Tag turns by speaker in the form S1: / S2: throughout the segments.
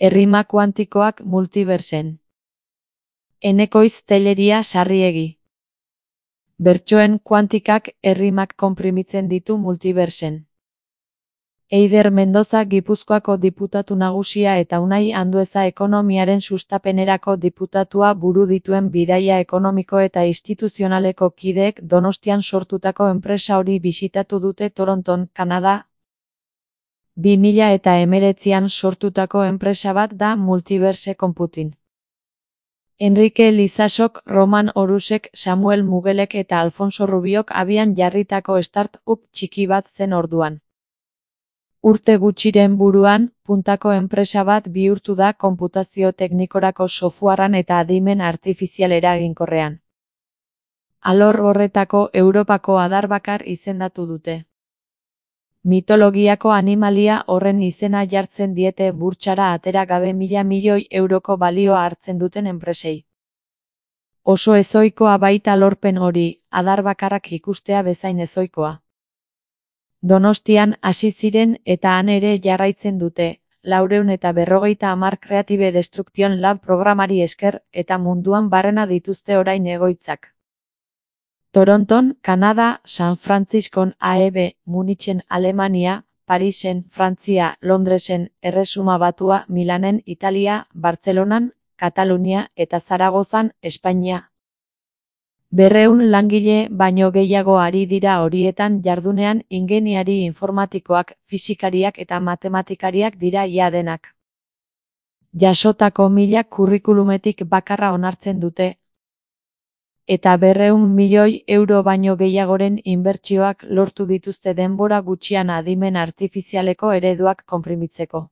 S1: Errima kuantikoak multiversen. Enekoiz Telleria Sarriegi. Bertsoen kuantikak errimak konprimitzen ditu multiversen. Eider Mendoza Gipuzkoako diputatu nagusia eta Unai Andueza ekonomiaren sustapenerako diputatua buru dituen bidaia ekonomiko eta instituzionaleko kideek Donostian sortutako enpresa hori bisitatu dute Toronton, Kanada. 2019an sortutako enpresa bat da Multiverse Computing. Enrique Lizasok, Roman Orusek, Samuel Mugelek eta Alfonso Rubiok abian jarritako start-up txiki bat zen orduan. Urte gutxiren buruan, puntako enpresa bat bihurtu da konputazio teknikorako softwarean eta adimen artifizial eraginkorrean. Alor horretako Europako adar bakar izendatu dute. Mitologiako animalia horren izena jartzen diete burtsara atera gabe 1.000 milioi euroko balioa hartzen duten enpresei. Oso ezoikoa baita lorpen hori, adar bakarrak ikustea bezain ezoikoa. Donostian hasi ziren eta han ere jarraitzen dute, 450 Creative Destruction Lab programari esker eta munduan barrena dituzte orain egoitzak. Toronton, Kanada, San Franciscon, AEB, Munichen, Alemania, Parisen, Frantzia, Londresen, Erresuma Batua, Milanen, Italia, Bartzelonan, Katalunia eta Zaragozan, Espainia. 200 langile baino gehiago ari dira horietan jardunean ingeniari informatikoak, fisikariak eta matematikariak dira ia denak. Jasotako 1000 kurrikulumetik bakarra onartzen dute. Eta 200 milioi euro baino gehiagoren inbertsioak lortu dituzte denbora gutxian adimen artifizialeko ereduak konprimitzeko.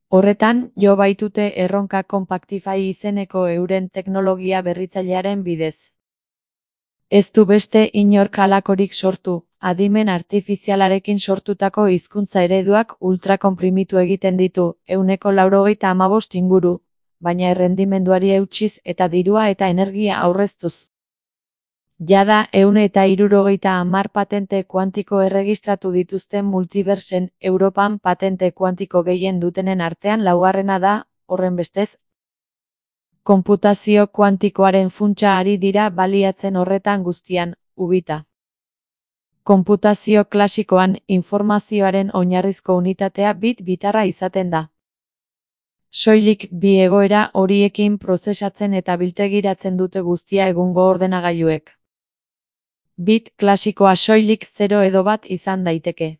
S1: Horretan, jo baitute erronka Compactify izeneko euren teknologia berritzailearen bidez. Ez du beste inork halakorik sortu, adimen artifizialarekin sortutako hizkuntza ereduak ultrakonprimitu egiten ditu, 195 inguru, baina errendimenduari eutsiz eta dirua eta energia aurreztuz. Jada 160 patente kuantiko erregistratu dituzten multiversen Europan patente kuantiko gehien dutenen artean laugarrena da, horrenbestez. Konputazio kuantikoaren funtsa ari dira baliatzen horretan guztian, ubita. Konputazio klasikoan informazioaren oinarrizko unitatea bit bitarra izaten da. Soilik bi egoera horiekin prozesatzen eta biltegiratzen dute guztia egungo ordenagailuek. Bit klasikoa soilik 0 edo 1 izan daiteke.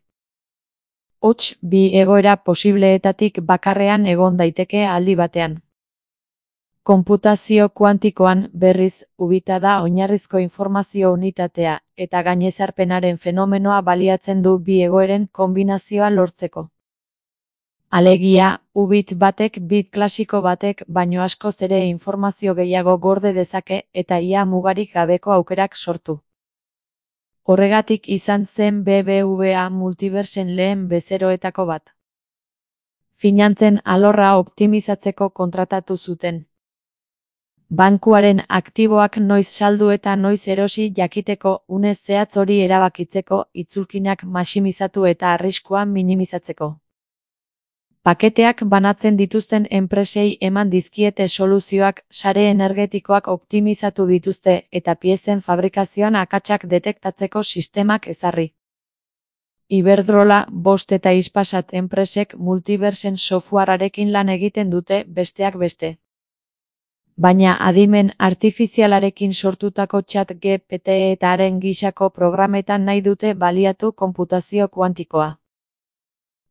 S1: Hots, bi egoera posibleetatik bakarrean egon daiteke aldi batean. Konputazio kuantikoan, berriz, ubita da oinarrizko informazio unitatea, eta gainezarpenaren fenomenoa baliatzen du bi egoeren konbinazioa lortzeko. Alegia, ubit batek bit klasiko batek baino askoz ere informazio gehiago gorde dezake eta ia mugarik gabeko aukerak sortu. Horregatik izan zen BBVA Multiversen lehen bezeroetako bat. Finantzen alorra optimizatzeko kontratatu zuten. Bankuaren aktiboak noiz saldu eta noiz erosi jakiteko une zehatz hori erabakitzeko, itzulkinak maximizatu eta arriskua minimizatzeko. Paketeak banatzen dituzten enpresei eman dizkiete soluzioak, sare energetikoak optimizatu dituzte eta piezen fabrikazioan akatsak detektatzeko sistemak ezarri. Iberdrola, Bost eta Hispasat enpresek multiversen softwarearekin lan egiten dute besteak beste. Baina adimen artifizialarekin sortutako chat GPT eta haren gisako programetan nahi dute baliatu konputazio kuantikoa.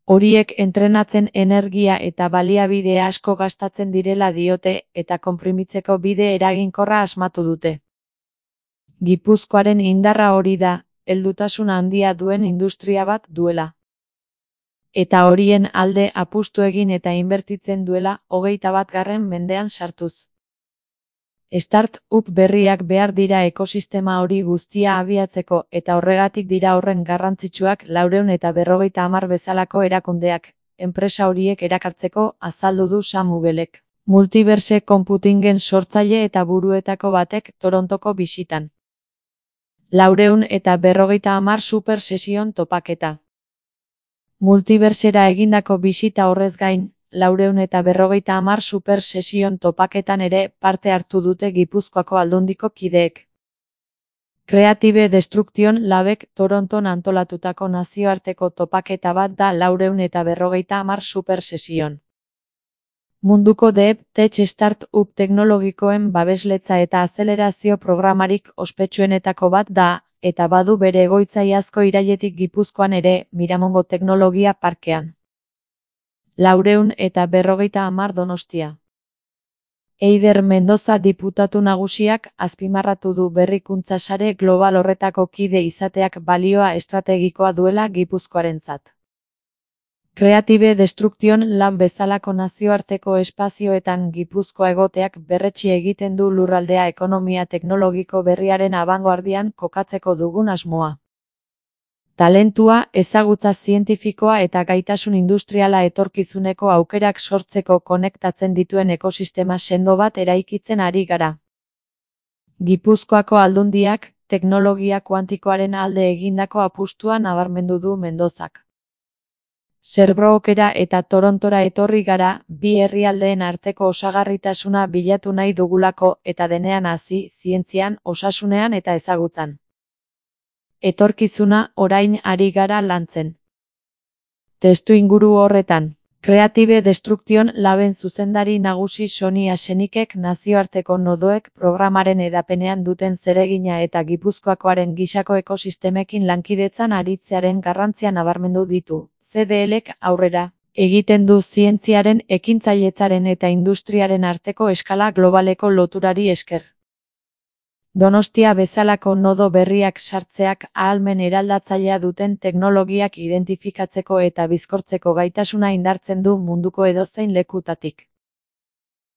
S1: Horiek entrenatzen energia eta baliabide asko gastatzen direla diote eta konprimitzeko bide eraginkorra asmatu dute. Gipuzkoaren indarra hori da, heldutasun handia duen industria bat duela. Eta horien alde apustu egin eta inbertitzen duela 21. mendean sartuz. Start-up berriak behar dira ekosistema hori guztia abiatzeko eta horregatik dira horren garrantzitsuak 450 bezalako erakundeak, enpresa horiek erakartzeko azaldu du Sam Mugelek, Multiverse Computingen sortzaile eta buruetako batek Torontoko bisitan. 450 super sesion topaketa. Multiversera egindako bisita horrez gain, 450 super sesion topaketan ere parte hartu dute Gipuzkoako Aldundiko kideek. Creative Destruction Labek Toronton antolatutako nazioarteko topaketa bat da 450 super sesion. Munduko Deep Tech Start-up teknologikoen babesletza eta azelerazio programarik ospetsuenetako bat da, eta badu bere egoitza iazko irailetik Gipuzkoan ere, Miramongo Teknologia Parkean. 450 Donostia. Eider Mendoza diputatu nagusiak azpimarratu du berrikuntza sare global horretako kide izateak balioa estrategikoa duela Gipuzkoarentzat. Creative Destruction Lab bezalako nazioarteko espazioetan Gipuzkoa egoteak berretsi egiten du lurraldea ekonomia teknologiko berriaren abangoardian kokatzeko dugun asmoa. Talentua, ezagutza zientifikoa eta gaitasun industriala etorkizuneko aukerak sortzeko konektatzen dituen ekosistema sendo bat eraikitzen ari gara. Gipuzkoako Aldundiak, teknologia kuantikoaren alde egindako apustua nabarmendu du Mendozak. Sherbrookeera eta Torontora etorri gara, bi herrialdeen arteko osagarritasuna bilatu nahi dugulako eta denean hasi, zientzian, osasunean eta ezagutzan. Etorkizuna orain ari gara lantzen. Testuinguru horretan, Creative Destruction Laben zuzendari nagusi Soni Asenikek nazioarteko nodoek programaren edapenean duten zeregina eta Gipuzkoakoaren gisako ekosistemekin lankidetzan aritzearen garrantzia nabarmendu ditu. CDLek aurrera egiten du zientziaren, ekintzailetzaren eta industriaren arteko eskala globaleko loturari esker. Donostia bezalako nodo berriak sartzeak ahalmen eraldatzailea duten teknologiak identifikatzeko eta bizkortzeko gaitasuna indartzen du munduko edozein lekutatik.